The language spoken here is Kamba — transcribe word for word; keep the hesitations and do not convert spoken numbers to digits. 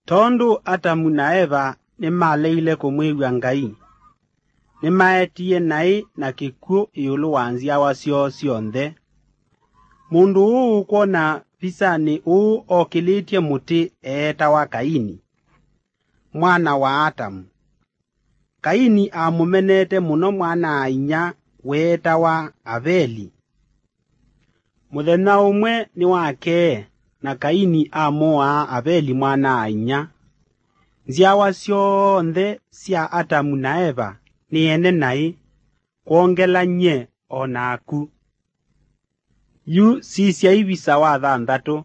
Tondũ Atamu na Eva nĩmaleile kũmwĩw'a Ngai, nĩmaetie naĩ na kĩkw'ũ ĩũlũ wa nzyawa syoo syonthe. Mũndũ ũũ ũkwona visanĩ ũũ okĩlĩtye mũtĩ eetawa Kaini, mwana wa Atamu. Kaini amũmenete mũno mwana-a-inyia weetawa Aveli. Mũthenya ũmwe nĩwakee, na Kaini amũaa Aveli mwana-a-inyia. Nzyawa syonthe sya Atamu na Eva nĩ ene naĩ, kwongela nyie o naku. Yu sisya ivisa wa thanthatũ.